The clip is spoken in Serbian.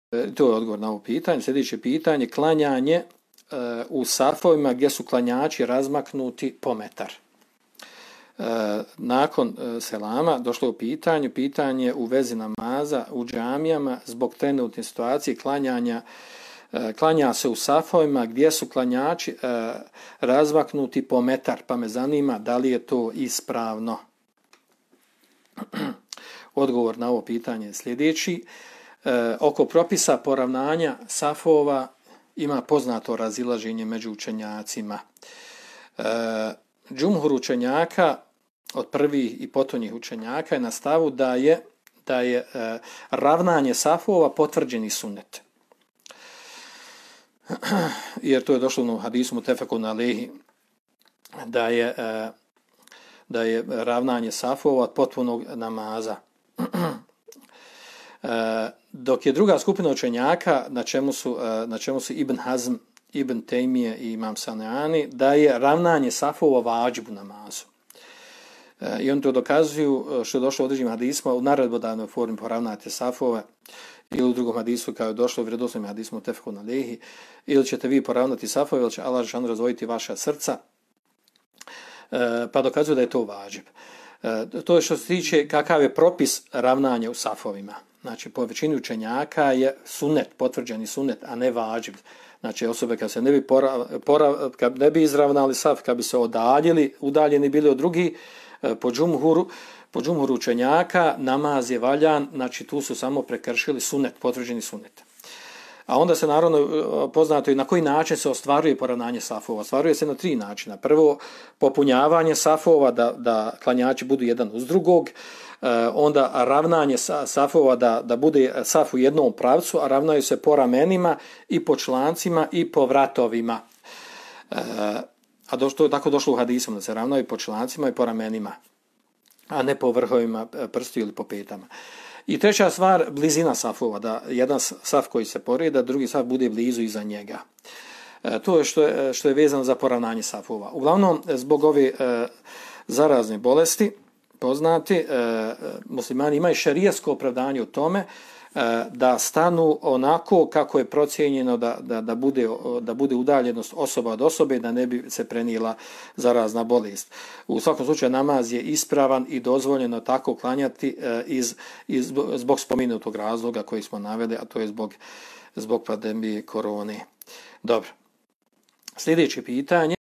To je odgovor na ovo pitanje. Sljedeće pitanje, klanjanje u safovima gdje su klanjači razmaknuti po metar. Nakon selama došlo u pitanje u vezi namaza u džamijama zbog trenutne situacije klanja se u safovima gdje su klanjači razmaknuti po metar, pa me zanima da li je to ispravno. Odgovor na ovo pitanje je sljedeći. Oko propisa poravnanja safova ima poznato razilaženje među učenjacima. Džumhur učenjaka od prvih i potonjih učenjaka je na stavu da je ravnanje safova potvrđeni sunnet. Jer to je došlo u hadisu mutefekun alejhi da je ravnanje safova od potpunog namaza. Dok je druga skupina učenjaka na čemu su Ibn Hazm, Ibn Tejmije i Imam Saneani, da je ravnanje safova vađib u namazu. I oni to dokazuju što je došlo u određenim hadisma u naredbodavnoj formi poravnate safove, ili u drugom hadisu kao je došlo u vjerodostojnom hadisu mutefekun alejhi, ili ćete vi poravnati safove, ili će Allah dželešanu razdvojiti vaša srca, pa dokazuju da je to vađib. To je što se tiče kakav je propis ravnanja u safovima. Znači, po većini učenjaka je sunnet, potvrđeni sunnet, a ne vađib. Znači, osobe kad se kad ne bi izravnali saf, kad bi se udaljeni bili od drugih, po džumhuru učenjaka, namaz je valjan, znači tu su samo prekršili sunnet, potvrđeni sunnet. A onda se naravno poznato i na koji način se ostvaruje poravnanje safova. Ostvaruje se na 3 načina. Prvo, popunjavanje safova, da klanjači budu jedan uz drugog. Onda ravnanje safova, da bude saf u jednom pravcu, a ravnaju se po ramenima i po člancima i po vratovima. A to je tako došlo u hadisom, da se ravnaju po člancima i po ramenima, a ne po vrhovima prstiju ili po petama. I treća stvar, blizina safova, da jedan saf koji se poreda, drugi saf bude blizu iza njega. To je što je vezano za poravnanje safova. Uglavnom, zbog ove zarazne bolesti, poznati, muslimani imaju šerijatsko opravdanje u tome da stanu onako kako je procijenjeno da bude udaljenost osoba od osobe, da ne bi se prenijela zarazna bolest. U svakom slučaju namaz je ispravan i dozvoljeno tako klanjati zbog spomenutog razloga koji smo naveli, a to je zbog pandemije korone. Dobro. Sljedeće pitanje.